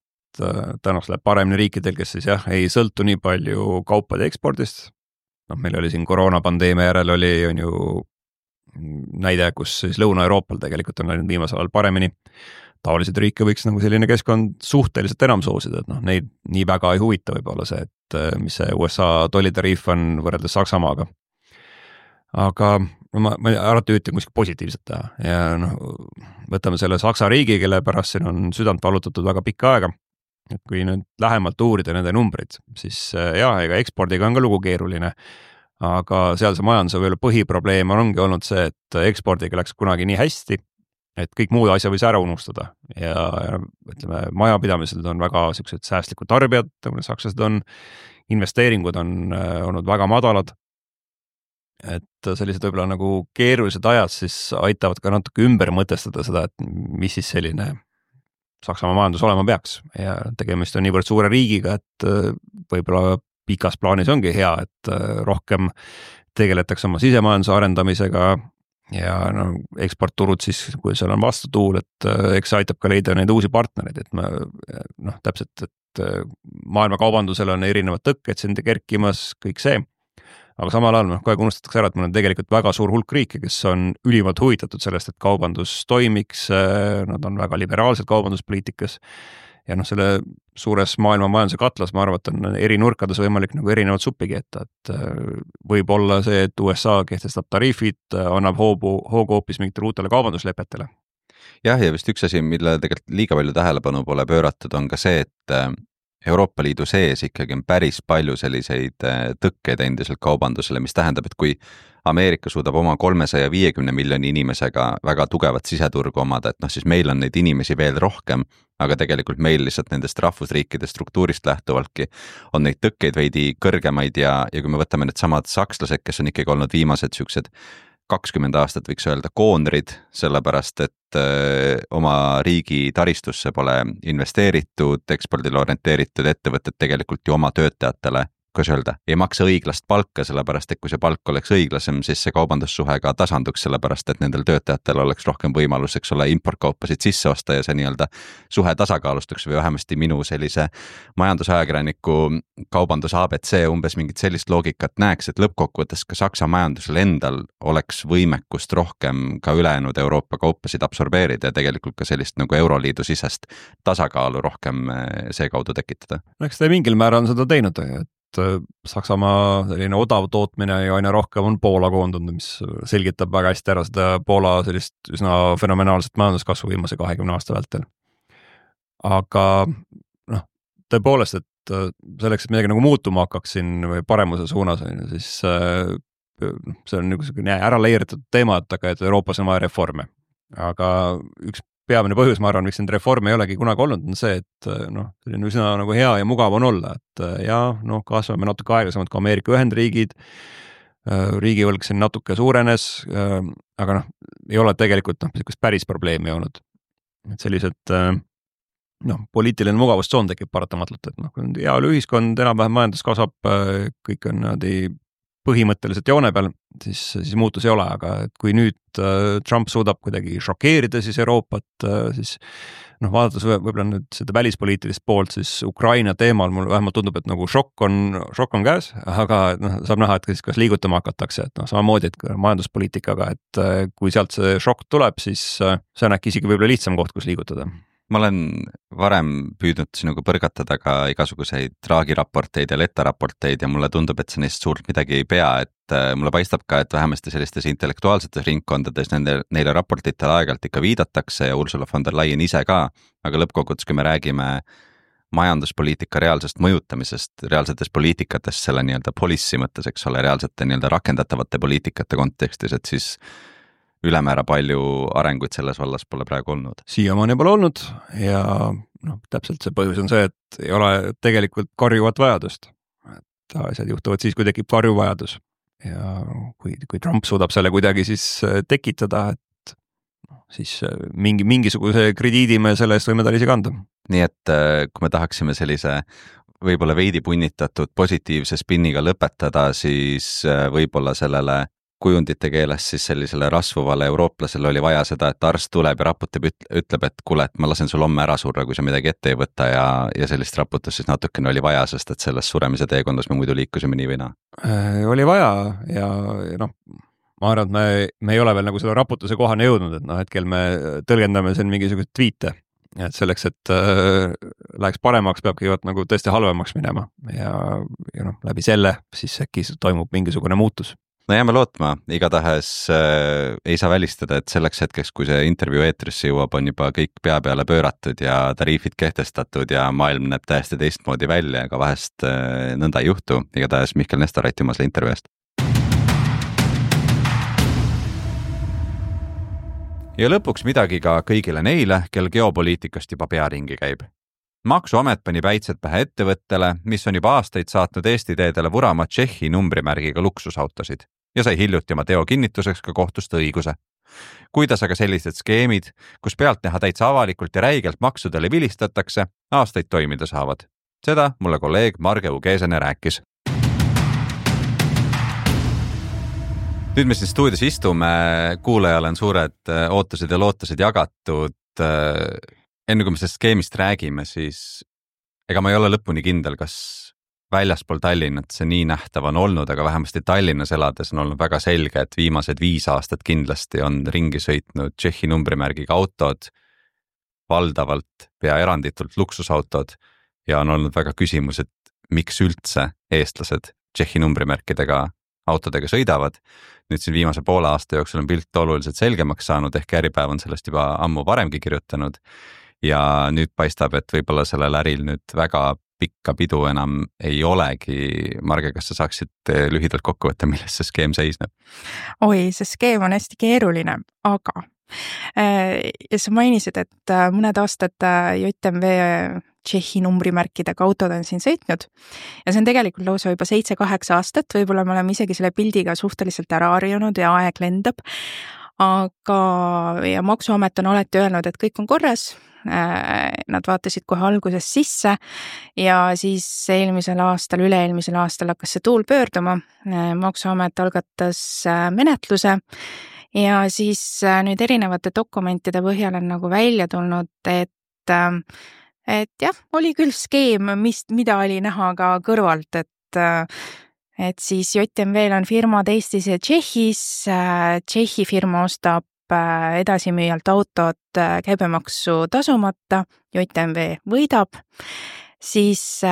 tänaks läheb paremini riikidel, kes siis jah, ei sõltu nii palju kaupade ekspordist. Noh, meil oli siin koroonapandeemia järel oli on ju näide, kus siis Lõuna-Euroopal tegelikult on läinud viimasel ajal paremini. Taoliseid riike võiks nagu selline keskkond suhteliselt enam soosida, et noh, neid nii väga ei huvita võib-olla see, et mis see U S A tollitariif on võrreldes Saksamaaga. Aga no ma, ma alati ütlen kuskil positiivset teha ja noh, võtame selle Saksa riigi, kelle pärast siin on südant valutatud väga pikka aega. Et kui nüüd lähemalt uurida nende numbrid, siis jah, ega ekspordiga on ka lugu keeruline, aga seal see majanduse veel põhiprobleem ongi olnud see, et ekspordiga läks kunagi nii hästi, et kõik muud asja võis ära unustada ja, ja ütleme, majapidamised on väga sellised säästlikud tarbijad, nagu sakslased on, investeeringud on olnud väga madalad. Et sellised võib-olla nagu keerulised ajad siis aitavad ka natuke ümber mõtestada seda, et mis siis selline Saksamaa majandus olema peaks ja tegemist on niivõrd suure riigiga, et võib-olla pikas plaanis ongi hea, et rohkem tegeletakse oma sisemajanduse arendamisega ja no, eksportturud siis, kui seal on vastutuul, et eks aitab ka leida neid uusi partnereid, et ma noh, täpselt, et maailma kaubandusel on erinevad tõkked siin kerkimas, kõik see. Aga samal ajal noh, kohe unustatakse ära, et meil on tegelikult väga suur hulk riike, kes on ülimalt huvitatud sellest, et kaubandus toimiks, nad on väga liberaalsed kaubanduspoliitikas ja noh, selle suures maailma majanduse katlas, ma arvan, et on eri nurkades võimalik nagu erinevad suppi keeta, et võib olla see, et U S A kehtestab tariifid, annab hoogu, hoogu hoopis mingitele uutele kaubanduslepetele. Jah, ja vist üks asi, mille tegelikult liiga palju tähelepanu pole pööratud, on ka see, et Euroopa Liidu sees ikkagi on päris palju selliseid tõkkeid endiselt kaubandusele, mis tähendab, et kui Ameerika suudab oma kolmesaja viiekümne miljoni inimesega väga tugevat siseturgu omada, et noh, siis meil on neid inimesi veel rohkem, aga tegelikult meil lihtsalt nendest rahvusriikide struktuurist lähtuvaltki on neid tõkkeid veidi kõrgemaid ja, ja kui me võtame need samad sakslased, kes on ikkagi olnud viimased siuksed kakskümmend aastat võiks öelda koonrid, sellepärast et öö, oma riigi taristusse pole investeeritud, ekspordile orienteeritud ettevõtted tegelikult ju oma töötajatele, kuidas öelda, ei maksa õiglast palka, sellepärast et kui see palk oleks õiglasem, siis see kaubandussuhe ka tasanduks, sellepärast et nendel töötajatel oleks rohkem võimalus, eks ole, importkaupasid sisse osta ja see nii-öelda suhe tasakaalustuks või vähemasti minu sellise majandusajakirjaniku kaubandus A B C umbes mingit sellist loogikat näeks, et lõppkokkuvõttes ka Saksa majandusel endal oleks võimekust rohkem ka ülejäänud Euroopa kaupasid absorbeerida ja tegelikult ka sellist nagu Euroliidu sisest tasakaalu rohkem seekaudu tekitada. Eks ta mingil määral on seda teinud, et Saksamaa selline odav tootmine ja aina rohkem on Poola koondunud, mis selgitab väga hästi ära seda Poola sellist üsna fenomenaalset majanduskasvu viimase kahekümne aasta vältel. Aga noh, tõepoolest, et selleks, et midagi nagu muutuma hakkaks siin või paremuse suunas, siis see on niisugune ära leeritud teema, et, aga, et Euroopas on vaja reforme. Aga üks peamine põhjus, ma arvan, miks neid reforme ei olegi kunagi olnud, on see, et noh, selline üsna nagu hea ja mugav on olla, et ja noh, kasvame natuke aeglasemalt kui Ameerika Ühendriigid, riigivõlg siin natuke suurenes, aga noh, ei ole tegelikult noh, päris probleemi olnud. Et sellised noh, poliitiline mugavustsoon tekib paratamatult, et noh, kui on hea ühiskond, enam-vähem majandus kasvab, kõik on niimoodi põhimõtteliselt joone peal, siis, siis muutus ei ole, aga et kui nüüd Trump suudab kuidagi šokeerida siis Euroopat, siis noh, vaadates võib-olla nüüd seda välispoliitilist poolt, siis Ukraina teemal mul vähemalt tundub, et nagu šokk on, šokk on käes, aga noh, saab näha, et kas, kas liigutama hakatakse, et noh, samamoodi, et majanduspoliitikaga, et kui sealt see šokk tuleb, siis see on äkki isegi võib-olla lihtsam koht, kus liigutada. Ma olen varem püüdnud sinuga põrgatada ka igasuguseid traagiraporteid ja letaraporteid ja mulle tundub, et see neist suurt midagi ei pea, et mulle paistab ka, et vähemasti sellistes intellektuaalsetes ringkondades nende, neile raportitele aegalt ikka viidatakse ja Ursula von der Leyen ise ka, aga lõppkokkuvõttes, kui me räägime majanduspoliitika reaalsest mõjutamisest, reaalsetest poliitikatest selle nii-öelda policy mõttes, eks ole, reaalsete nii-öelda rakendatavate poliitikate kontekstis, et siis ülemäära palju arenguid selles vallas pole praegu olnud. Siiamaani pole olnud ja noh, täpselt see põhjus on see, et ei ole tegelikult karjuvat vajadust. Et asjad juhtuvad siis, kui tekib karjuv vajadus. Ja kui, kui Trump suudab selle kuidagi siis tekitada, et siis mingi, mingisuguse krediidi me selle eest võime tal ise kanda. Nii et kui me tahaksime sellise võib-olla veidi punnitatud positiivse spinniga lõpetada, siis võib-olla sellele kujundite keeles siis sellisele rasvuvale eurooplasele oli vaja seda, et arst tuleb ja raputab, ütleb, et kuule, et ma lasen sul homme ära surra, kui sa midagi ette ei võta ja, ja sellist raputust siis natukene oli vaja, sest et selles suremise teekondas me muidu liikusime nii või naa. Oli vaja ja, ja noh, ma arvan, et me, me ei ole veel nagu selle raputuse kohane jõudnud, et noh, hetkel me tõlgendame siin mingisugust tweete, et selleks, et äh, läheks paremaks, peabki jõuad nagu tõesti halvemaks minema ja, ja noh, läbi selle siis äkki toimub mingisugune muutus. No jääme lootma, igatahes äh, ei saa välistada, et selleks hetkeks, kui see intervjuu eetrisse jõuab, on juba kõik pea peale pööratud ja tariifid kehtestatud ja maailm näeb täiesti teistmoodi välja, aga vahest äh, nõnda ei juhtu. Igatahes Mihkel Nestor, aitüma selle intervjuu eest. Ja lõpuks midagi ka kõigile neile, kel geopoliitikast juba pearingi käib. maksuamet pani päitsed pähe ettevõttele, mis on juba aastaid saatnud Eesti teedele vurama Tšehhi numbrimärgiga luksusautosid ja sai hiljuti oma teo kinnituseks ka kohtust õiguse. Kuidas aga sellised skeemid, kus pealt näha täitsa avalikult ja räigelt maksudele vilistatakse, aastaid toimida saavad? Seda mulle kolleeg Marge Ugesene rääkis. Nüüd me siin stuudios istume, kuulajale on suured ootused ja lootused jagatud. Enne kui me sellest skeemist räägime, siis ega ma ei ole lõpuni kindel, kas väljaspool Tallinnat see nii nähtav on olnud, aga vähemasti Tallinnas elades on olnud väga selge, et viimased viis aastat kindlasti on ringi sõitnud Tšehhi numbrimärgiga autod, valdavalt pea eranditult luksusautod ja on olnud väga küsimus, et miks üldse eestlased Tšehhi numbrimärkidega autodega sõidavad. Nüüd siin viimase poole aasta jooksul on pilt oluliselt selgemaks saanud, ehk Äripäev on sellest juba ammu varemgi kirjutanud ja nüüd paistab, et võib-olla sellel äril nüüd väga pikka pidu enam ei olegi. Marge, kas sa saaksid lühidalt kokku võtta, milles see skeem seisneb? Oi, see skeem on hästi keeruline, aga ja sa mainisid, et mõned aastad J M V Tšehhi numbrimärkidega autod on siin sõitnud ja see on tegelikult lausa juba seitse kaheksa aastat, võib-olla me oleme isegi selle pildiga suhteliselt ära harjunud ja aeg lendab, aga ja maksuamet on alati öelnud, et kõik on korras, nad vaatasid kohe alguses sisse ja siis eelmisel aastal, üle-eelmisel aastal hakkas see tuul pöörduma, maksuamet algatas menetluse ja siis nüüd erinevate dokumentide põhjal on nagu välja tulnud, et et jah, oli küll skeem, mis, mida oli näha ka kõrvalt, et, et siis J M V-l on firmad Eestis ja Tšehhis, Tšehhi firma ostab edasimüüjalt autot käibemaksu tasumata, J M V võidab, siis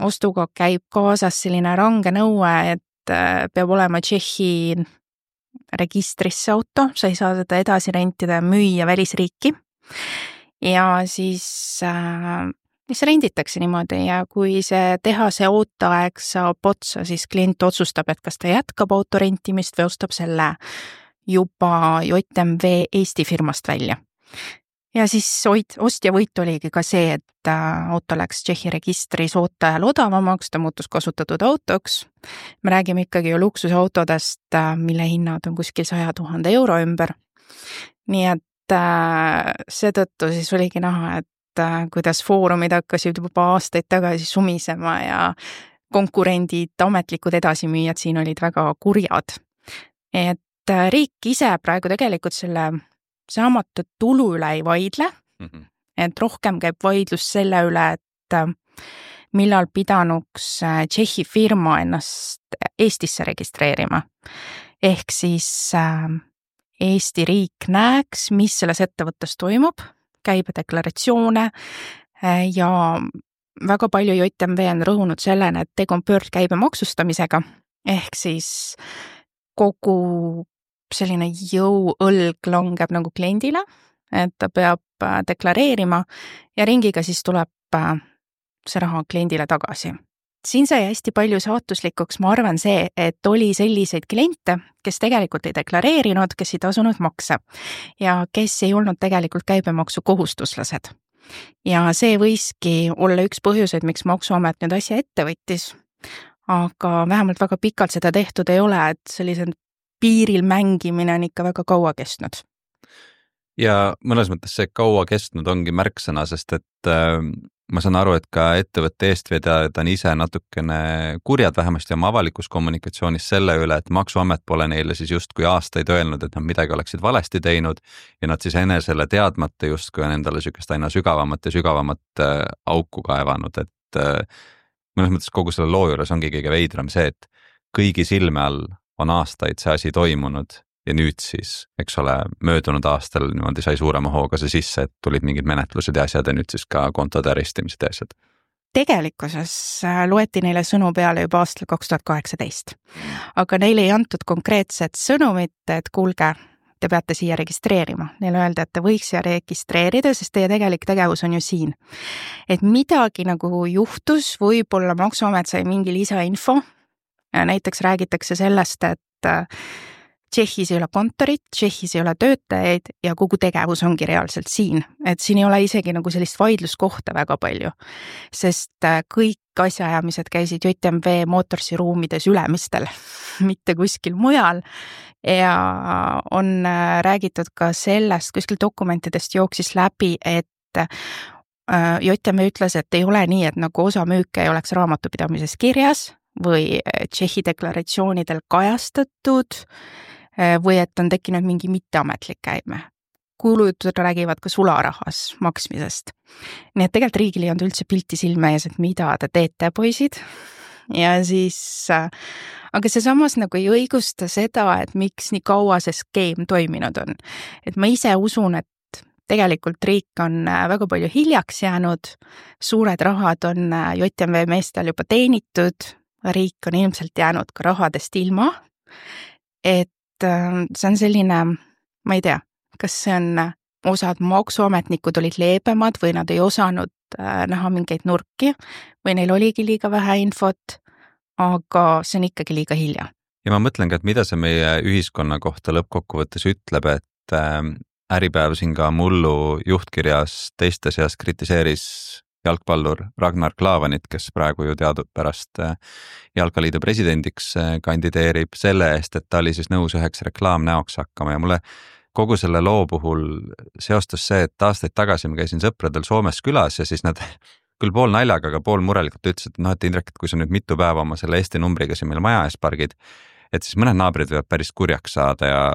ostuga käib kaasas selline range nõue, et peab olema Tšehhi registrisse auto, sa ei saa seda edasi rentida ja müüa välisriiki. Ja siis äh, mis renditakse niimoodi ja kui see tehase ooteaeg saab otsa, siis klient otsustab, et kas ta jätkab auto rentimist või ostab selle juba J M V Eesti firmast välja. Ja siis ostja võit oligi ka see, et auto läks Tšehhi registris ooteajal odavamaks, ta muutus kasutatud autoks. Me räägime ikkagi ju luksusautodest, mille hinnad on kuskil saja tuhande euro ümber. Nii et seetõttu siis oligi näha, et kuidas foorumid hakkasid juba aastaid tagasi sumisema ja konkurendid, ametlikud edasimüüjad siin olid väga kurjad. Et riik ise praegu tegelikult selle saamatu tulu üle ei vaidle, mm-hmm. et rohkem käib vaidlus selle üle, et millal pidanuks Tšehhi firma ennast Eestisse registreerima. Ehk siis Eesti riik näeks, mis selles ettevõttes toimub, käibedeklaratsioone ja väga palju J M V on rõhunud sellena, et tegu on pöördkäibe maksustamisega, ehk siis kogu selline jõuõlg langeb nagu kliendile, et ta peab deklareerima ja ringiga siis tuleb see raha kliendile tagasi. Siin sai hästi palju saatuslikuks, ma arvan see, et oli selliseid kliente, kes tegelikult ei deklareerinud, kes ei tasunud makse ja kes ei olnud tegelikult käibemaksu kohustuslased. Ja see võiski olla üks põhjuseid, miks maksuamet nüüd asja ette võttis, aga vähemalt väga pikalt seda tehtud ei ole, et sellise piiril mängimine on ikka väga kaua kestnud. Ja mõnes mõttes see kaua kestnud ongi märksõna, sest et äh, ma saan aru, et ka ettevõtte eestvedajad on ise natukene kurjad vähemasti oma avalikus kommunikatsioonis selle üle, et maksuamet pole neile siis justkui aastaid öelnud, et nad midagi oleksid valesti teinud ja nad siis enesele teadmata justkui on endale sükest aina sügavamat ja sügavamat äh, auku kaevanud, et äh, mõnes mõttes kogu selle loo juures ongi kõige veidram see, et kõigi silme all on aastaid see asi toimunud ja nüüd siis, eks ole, möödunud aastal niimoodi sai suurema hooga see sisse, et tulid mingid menetlused ja asjad ja nüüd siis ka kontode arestimised ja asjad. Tegelikkuses loeti neile sõnu peale juba aastal kaks tuhat kaheksateist, aga neile ei antud konkreetset sõnumit, et kuulge, te peate siia registreerima. Neile öelda, et te võiks siia registreerida, sest teie tegelik tegevus on ju siin. Et midagi nagu juhtus, võib-olla maksuamet sai mingi lisainfo. Näiteks räägitakse sellest, et Tšehhis ei ole kontorit, Tšehhis ei ole töötajaid ja kogu tegevus ongi reaalselt siin. Et siin ei ole isegi nagu sellist vaidluskohta väga palju, sest kõik asjaajamised käisid J M V Motorsi ruumides Ülemistel, mitte kuskil mujal. Ja on räägitud ka sellest, kuskil dokumentidest jooksis läbi, et J M V ütles, et ei ole nii, et nagu osa müüke ei oleks raamatupidamises kirjas või Tšehhi deklaratsioonidel kajastatud või et on tekkinud mingi mitteametlik käime. Kuulujutud räägivad ka sularahas maksmisest. Nii et tegelikult riigil ei olnud üldse pilti silme ees, et mida te teete, poisid. Ja siis, aga see samas nagu ei õigusta seda, et miks nii kaua see skeem toiminud on. Et ma ise usun, et tegelikult riik on väga palju hiljaks jäänud, suured rahad on J M V meestel juba teenitud, riik on ilmselt jäänud ka rahadest ilma, et see on selline, ma ei tea, kas see on osad maksuametnikud olid leebemad või nad ei osanud näha mingeid nurki või neil oligi liiga vähe infot, aga see on ikkagi liiga hilja. Ja ma mõtlengi, et mida see meie ühiskonna kohta lõppkokkuvõttes ütleb, et Äripäev siin ka mullu juhtkirjas teiste seas kritiseeris jalgpallur Ragnar Klavanit, kes praegu ju teadupärast Jalkaliidu presidendiks kandideerib selle eest, et ta oli siis nõus üheks reklaamnäoks hakkama ja mulle kogu selle loo puhul seostus see, et aastaid tagasi ma käisin sõpradel Soomes külas ja siis nad küll pool naljaga, aga pool murelikult ütlesid, et noh, et Indrek, et kui sa nüüd mitu päeva oma selle Eesti numbriga siin meil maja ees pargid, et siis mõned naabrid võivad päris kurjaks saada ja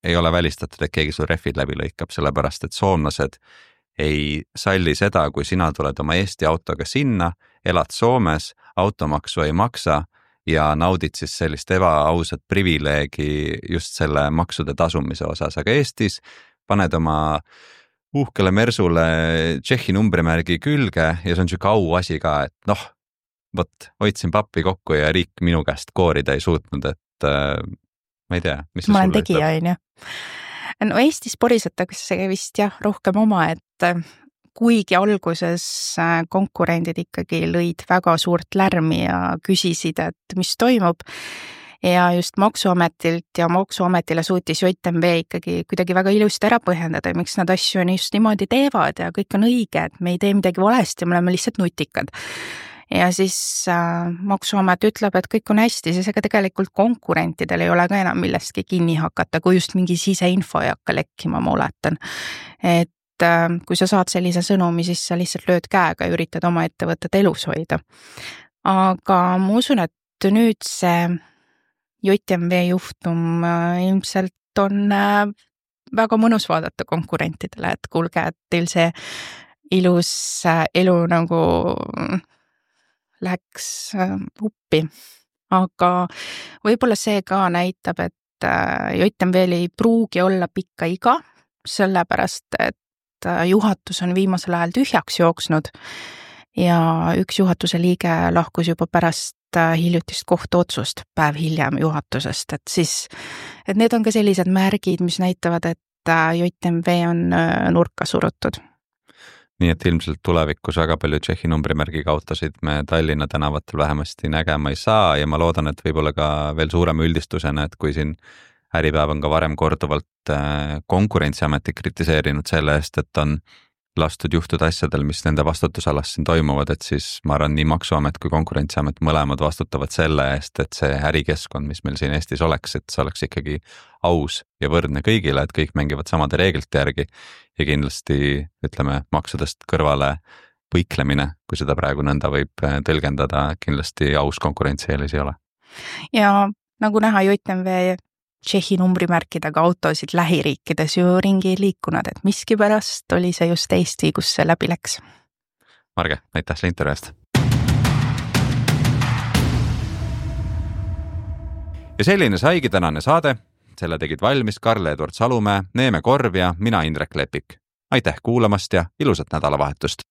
ei ole välistatud, et keegi sul rehvid läbi lõikab, sellepärast et soomlased ei salli seda, kui sina tuled oma Eesti autoga sinna, elad Soomes, automaksu ei maksa ja naudid siis sellist ebaausat privileegi just selle maksude tasumise osas, aga Eestis paned oma uhkele Mersule Tšehhi numbrimärgi külge ja see on siuke au asi ka, et noh, võt, hoidsin pappi kokku ja riik minu käest koorida ei suutnud, et äh, ma ei tea, mis see ma olen sulle tegija, on ju. No Eestis porisetakse vist jah rohkem oma, et kuigi alguses konkurendid ikkagi lõid väga suurt lärmi ja küsisid, et mis toimub ja just maksuametilt ja maksuametile suutis J M V ikkagi kuidagi väga ilusti ära põhjendada, miks nad asju just niimoodi teevad ja kõik on õige, et me ei tee midagi valesti, me oleme lihtsalt nutikad. Ja siis äh, maksuamet ütleb, et kõik on hästi, siis ega tegelikult konkurentidel ei ole ka enam millestki kinni hakata, kui just mingi siseinfo ei hakka lekkima, ma oletan. Et äh, kui sa saad sellise sõnumi, siis sa lihtsalt lööd käega ja üritad oma ettevõtet elus hoida. Aga ma usun, et nüüd see J M V juhtum äh, ilmselt on äh, väga mõnus vaadata konkurentidele, et kuulge, et teil see ilus äh, elu nagu läks uppi, aga võib-olla see ka näitab, et J M V-l ei pruugi olla pikka iga, sellepärast et juhatus on viimasel ajal tühjaks jooksnud ja üks juhatuse liige lahkus juba pärast hiljutist kohtuotsust päev hiljem juhatusest, et siis, et need on ka sellised märgid, mis näitavad, et J M V on nurka surutud. Nii et ilmselt tulevikus väga palju Tšehhi numbrimärgiga autosid me Tallinna tänavatel vähemasti nägema ei saa ja ma loodan, et võib-olla ka veel suurema üldistusena, et kui siin Äripäev on ka varem korduvalt konkurentsiameti kritiseerinud selle eest, et on lastud juhtuda asjadel, mis nende vastutusalas siin toimuvad, et siis ma arvan, nii maksuamet kui konkurentsiamet mõlemad vastutavad selle eest, et see ärikeskkond, mis meil siin Eestis oleks, et see oleks ikkagi aus ja võrdne kõigile, et kõik mängivad samade reeglite järgi ja kindlasti, ütleme, maksudest kõrvale põiklemine, kui seda praegu nõnda võib tõlgendada, kindlasti aus konkurentsieelis ei ole. Ja nagu näha, J M V Tšehhi numbrimärkidega autosid lähiriikides ju ringi liikunud, et miski pärast oli see just Eesti, kus see läbi läks. Marge, aitäh selle intervjuu eest. Ja selline saigi tänane saade. Selle tegid valmis Karl-Edward Salumäe, Neeme Korv ja mina Indrek Lepik. Aitäh kuulamast ja ilusat nädalavahetust!